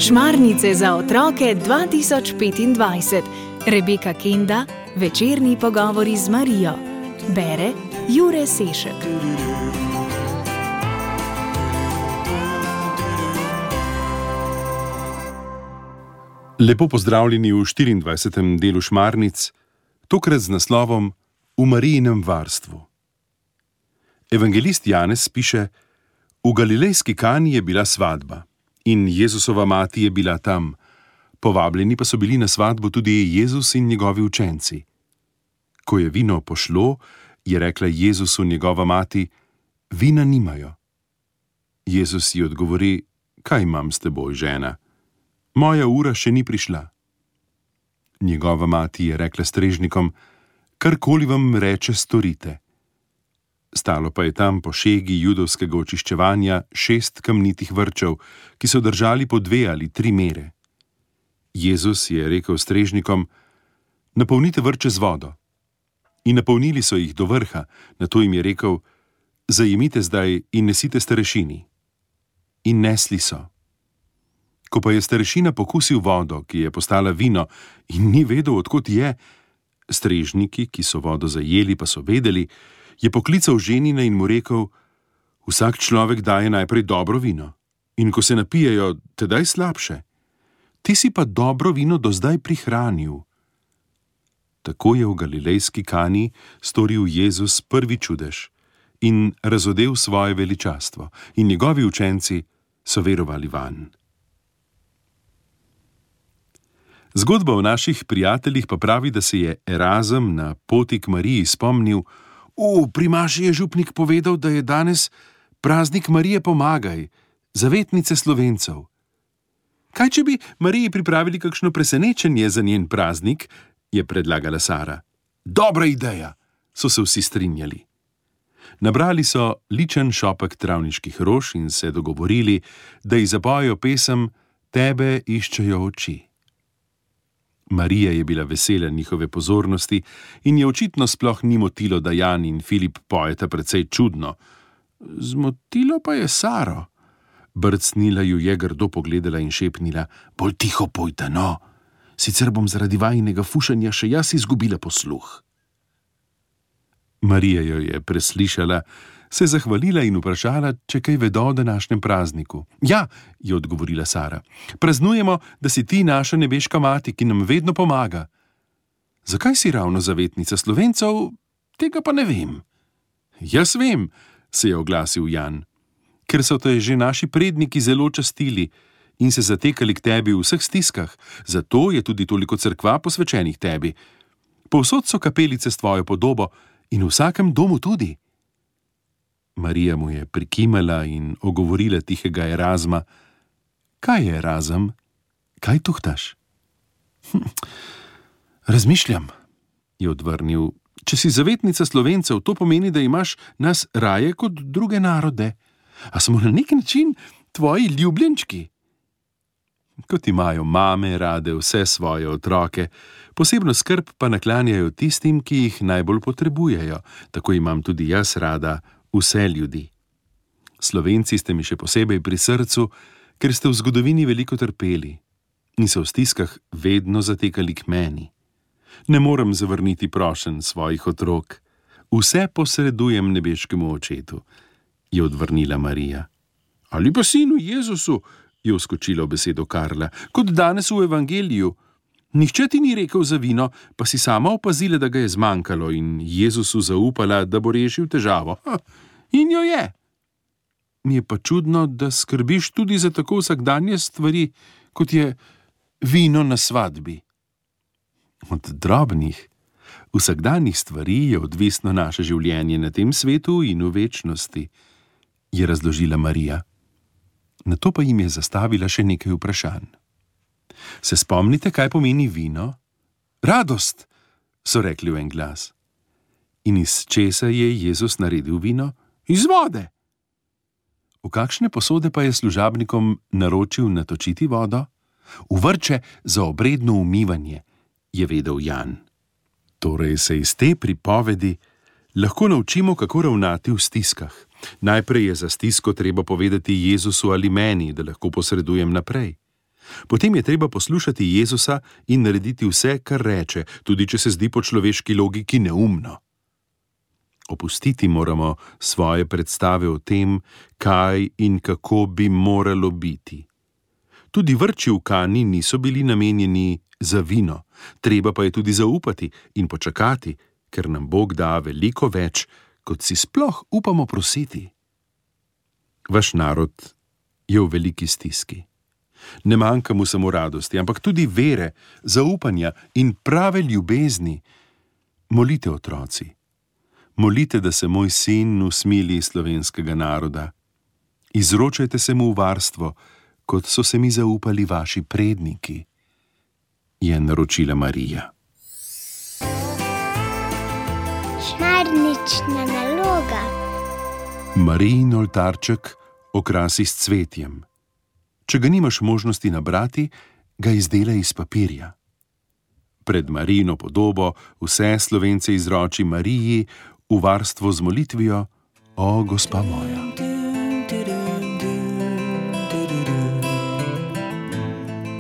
Šmarnice za otroke 2025. Rebeka Kenda, večerni pogovori z Marijo. Bere Jure Sešek. Lepo pozdravljeni v 24. delu Šmarnic, tokrat z naslovom V Marijinem varstvu. Evangelist Janez piše: V galilejski Kani je bila svadba in Jezusova mati je bila tam. Povabljeni pa so bili na svadbo tudi Jezus in njegovi učenci. Ko je vino pošlo, je rekla Jezusu njegova mati: Vina nimajo. Jezus ji odgovori: Kaj imam s teboj, žena? Moja ura še ni prišla. Njegova mati je rekla strežnikom: Karkoli vam reče, storite. Stalo pa je tam po šegi judovskega očiščevanja 6 kamnitih vrčev, ki so držali po 2 ali 3 mere. Jezus je rekel strežnikom: Napolnite vrče z vodo. In napolnili so jih do vrha, nato jim je rekel: Zajemite zdaj in nesite starešini. In nesli so. Ko pa je starešina pokusil vodo, ki je postala vino, in ni vedel, od kod je, strežniki, ki so vodo zajeli, pa so vedeli, je poklical ženina in mu rekel: Vsak človek daje najprej dobro vino, in ko se napijejo, tedaj slabše. Ti si pa dobro vino do zdaj prihranil. Tako je v galilejski Kani storil Jezus prvi čudež in razodel svoje veličastvo, in njegovi učenci so verovali vanj. Zgodba o naših prijateljih pa pravi, da se je Erazem na poti k Mariji spomnil: Pri maši je župnik povedal, da je danes praznik Marije Pomagaj, zavetnice Slovencev. Kaj, če bi Mariji pripravili kakšno presenečenje za njen praznik, je predlagala Sara. Dobra ideja, so se vsi strinjali. Nabrali so ličen šopek travniških rož in se dogovorili, da ji zapojejo pesem Tebe iščejo oči. Marija je bila vesela njihove pozornosti in je očitno sploh ni motilo, da Jan in Filip pojeta precej čudno. Zmotilo pa je Saro. Brcnila ju je, grdo pogledala in šepnila: Bolj tiho pojte, no, sicer bom zaradi vajinega fušanja še jaz izgubila posluh. Marija jo je preslišala, se zahvalila in vprašala, če kaj vedo o današnjem prazniku. Ja, je odgovorila Sara, praznujemo, da si ti naša nebeška mati, ki nam vedno pomaga. Zakaj si ravno zavetnica Slovencev, tega pa ne vem. Jaz vem, se je oglasil Jan, ker so te že naši predniki zelo častili in se zatekali k tebi v vseh stiskah, zato je tudi toliko cerkva posvečenih tebi. Povsod so kapelice s tvojo podobo in v vsakem domu tudi. Marija mu je prikimala in ogovorila tihega Erazma: Kaj je, Erazem? Kaj tuhtaš? Razmišljam, je odvrnil. Če si zavetnica Slovencev, to pomeni, da imaš nas raje kot druge narode. A smo na nek način tvoji ljubljenčki? Kot imajo mame rade vse svoje otroke, posebno skrb pa naklanjajo tistim, ki jih najbolj potrebujejo, tako imam tudi jaz rada vse ljudi. Slovenci ste mi še posebej pri srcu, ker ste v zgodovini veliko trpeli in se v stiskah vedno zatekali k meni. Ne morem zavrniti prošenj svojih otrok. Vse posredujem nebeškemu očetu, je odvrnila Marija. Ali pa sinu Jezusu, je vskočila v besedo Karla, kot danes v evangeliju. Nihče ti ni rekel za vino, pa si sama opazila, da ga je zmanjkalo, in Jezusu zaupala, da bo rešil težavo. In jo je. Mi je pa čudno, da skrbiš tudi za tako vsakdanje stvari, kot je vino na svadbi. Od drobnih, vsakdanjih stvari je odvisno naše življenje na tem svetu in v večnosti, je razložila Marija. Nato pa jim je zastavila še nekaj vprašanj. Se spomnite, kaj pomeni vino? Radost, so rekli v en glas. In iz česa je Jezus naredil vino? Iz vode. V kakšne posode pa je služabnikom naročil natočiti vodo? V vrče za obredno umivanje, je vedel Jan. Torej se iz te pripovedi lahko naučimo, kako ravnati v stiskah. Najprej je za stisko treba povedati Jezusu ali meni, da lahko posredujem naprej. Potem je treba poslušati Jezusa in narediti vse, kar reče, tudi če se zdi po človeški logiki neumno. Opustiti moramo svoje predstave o tem, kaj in kako bi moralo biti. Tudi vrči v Kani niso bili namenjeni za vino, treba pa je tudi zaupati in počakati, ker nam Bog da veliko več, kot si sploh upamo prositi. Vaš narod je v veliki stiski. Ne manjka mu samo radosti, ampak tudi vere, zaupanja in prave ljubezni. Molite, otroci. Molite, da se moj sin usmili slovenskega naroda. Izročajte se mu v varstvo, kot so se mi zaupali vaši predniki, je naročila Marija. Šmarnična naloga. Marijin oltarček okrasi s cvetjem. Če ga nimaš možnosti nabrati, ga izdelaj iz papirja. Pred Marijino podobo vse Slovence izroči Mariji v varstvo z molitvijo: O, gospa moja.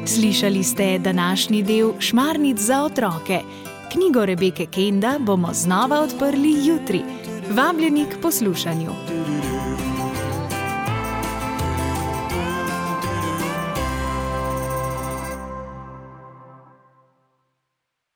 Slišali ste današnji del Šmarnic za otroke. Knjigo Rebeke Kenda bomo znova odprli jutri. Vabljeni k poslušanju.